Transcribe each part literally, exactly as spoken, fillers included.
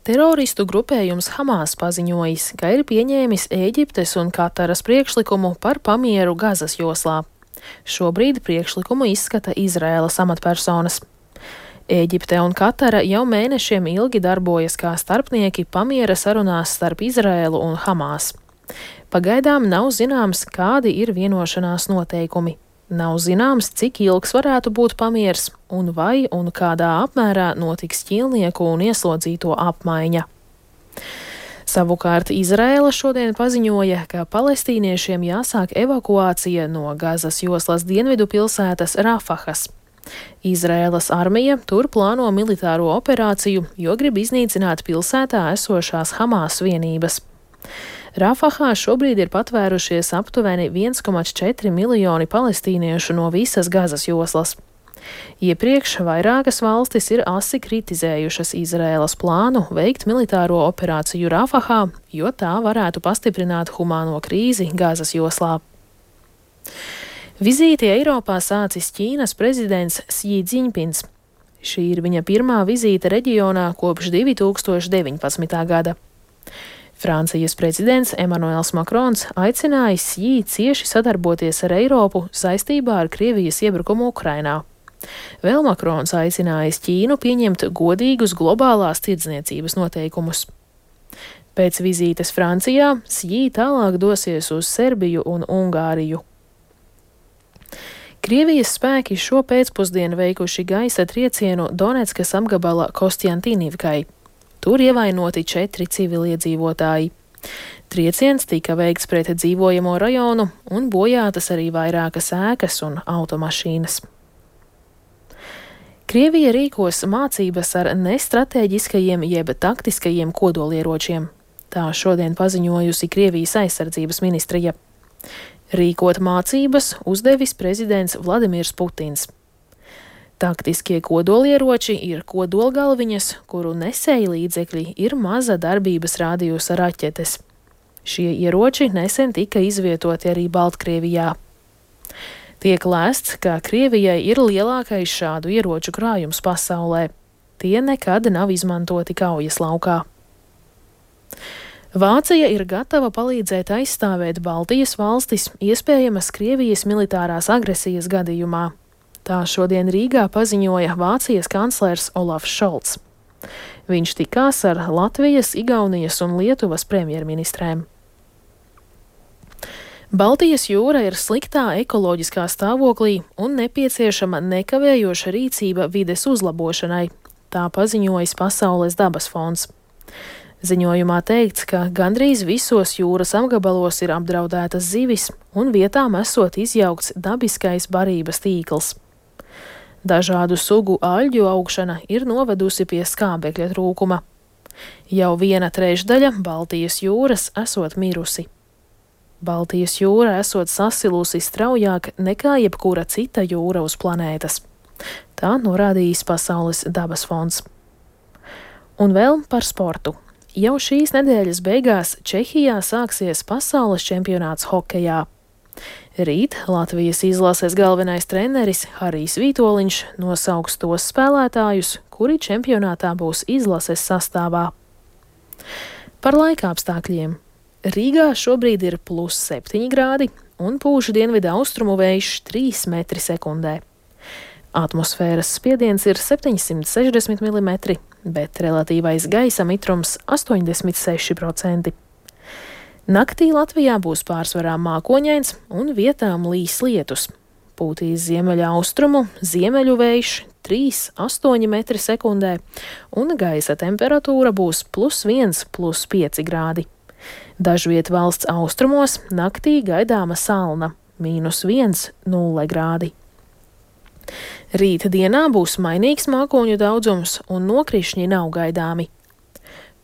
Teroristu grupējums Hamas paziņojis, ka ir pieņēmis Ēģiptes un Kataras priekšlikumu par pamieru Gazas joslā. Šobrīd priekšlikumu izskata Izraēlas amatpersonas. Ēģipte un Katara jau mēnešiem ilgi darbojas kā starpnieki pamiera sarunās starp Izraēlu un Hamas. Pagaidām nav zināms, kādi ir vienošanās noteikumi. Nav zināms, cik ilgs varētu būt pamiers un vai un kādā apmērā notiks ķīlnieku un ieslodzīto apmaiņa. Savukārt Izraēla šodien paziņoja, ka palestīniešiem jāsāk evakuācija no Gazas joslas dienvidu pilsētas Rafahas. Izraēlas armija tur plāno militāro operāciju, jo grib iznīcināt pilsētā esošās Hamas vienības. Rafahā šobrīd ir patvērušies aptuveni viens komats četri miljoni palestīniešu no visas Gazas joslas. Iepriekš vairākas valstis ir asi kritizējušas Izraēlas plānu veikt militāro operāciju Rafahā, jo tā varētu pastiprināt humāno krīzi Gazas joslā. Vizīti Eiropā sācis Ķīnas prezidents Sī Dziņpins. Šī ir viņa pirmā vizīte reģionā kopš divi tūkstoši deviņpadsmitā gada. Francijas prezidents Emanuels Makrons aicinājis Sī cieši sadarboties ar Eiropu saistībā ar Krievijas iebrukumu Ukrainā. Vēl Makrons aicinājis Ķīnu pieņemt godīgus globālās tirdzniecības noteikumus. Pēc vizītes Francijā Sī tālāk dosies uz Serbiju un Ungāriju. Krievijas spēki šo pēcpusdienu veikuši gaisa triecienu Donetskas apgabala Kostjantīnivkai. Tur ievainoti četri civiliedzīvotāji. Trieciens tika veikts pret dzīvojamo rajonu un bojātas arī vairākas ēkas un automašīnas. Krievija rīkos mācības ar nestrateģiskajiem jeb taktiskajiem kodolieročiem. Tā šodien paziņojusi Krievijas aizsardzības ministrija. Rīkot mācības uzdevis prezidents Vladimirs Putins. Taktiskie kodolieroči ir kodolgalviņas, kuru nesēji līdzekļi ir maza darbības rādījusa raķetes. Šie ieroči nesen tika izvietoti arī Baltkrievijā. Tiek lēsts, ka Krievijai ir lielākais šādu ieroču krājums pasaulē. Tie nekad nav izmantoti kaujas laukā. Vācija ir gatava palīdzēt aizstāvēt Baltijas valstis iespējamas Krievijas militārās agresijas gadījumā. Tā šodien Rīgā paziņoja Vācijas kanclers Olafs Šolts. Viņš tikās ar Latvijas, Igaunijas un Lietuvas premjerministrēm. Baltijas jūra ir sliktā ekoloģiskā stāvoklī un nepieciešama nekavējoša rīcība vides uzlabošanai. Tā paziņojis Pasaules dabas fonds. Ziņojumā teikts, ka gandrīz visos jūras apgabalos ir apdraudētas zivis un vietām esot izjaukts dabiskais barības tīkls. Dažādu sugu aļģu augšana ir novedusi pie skābekļa trūkuma. Jau viena trešdaļa Baltijas jūras esot mirusi. Baltijas jūra esot sasilusi straujāk nekā jebkura cita jūra uz planētas. Tā norādījis Pasaules dabas fonds. Un vēl par sportu. Jau šīs nedēļas beigās Čehijā sāksies pasaules čempionāts hokejā. Rīt Latvijas izlases galvenais treneris Harijs Vītoliņš nosauks tos spēlētājus, kuri čempionātā būs izlases sastāvā. Par laika apstākļiem. Rīgā šobrīd ir plus septiņi grādi un pūš dienvidu austrumu vējš trīs metri sekundē. Atmosfēras spiediens ir septiņsimt sešdesmit milimetri, bet relatīvais gaisa mitrums astoņdesmit seši procenti. Naktī Latvijā būs pārsvarā mākoņains un vietām līs lietus. Pūtīs ziemeļa austrumu, ziemeļu vējš trīs līdz astoņi metri sekundē un gaisa temperatūra būs plus viens, plus pieci grādi. Dažviet valsts austrumos naktī gaidāma salna mīnus viens, nulle grādi. Rīta dienā būs mainīgs mākoņu daudzums un nokrišņi nav gaidāmi.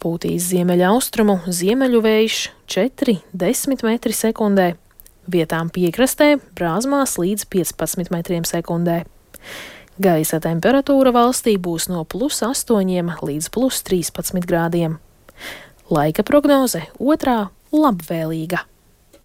Pūtīs ziemeļa austrumu, ziemeļu vējš četri līdz desmit metri sekundē, vietām piekrastē brāzmās līdz piecpadsmit metriem sekundē. Gaisa temperatūra valstī būs no plus astoņiem līdz plus trīspadsmit grādiem. Laika prognoze otrā labvēlīga.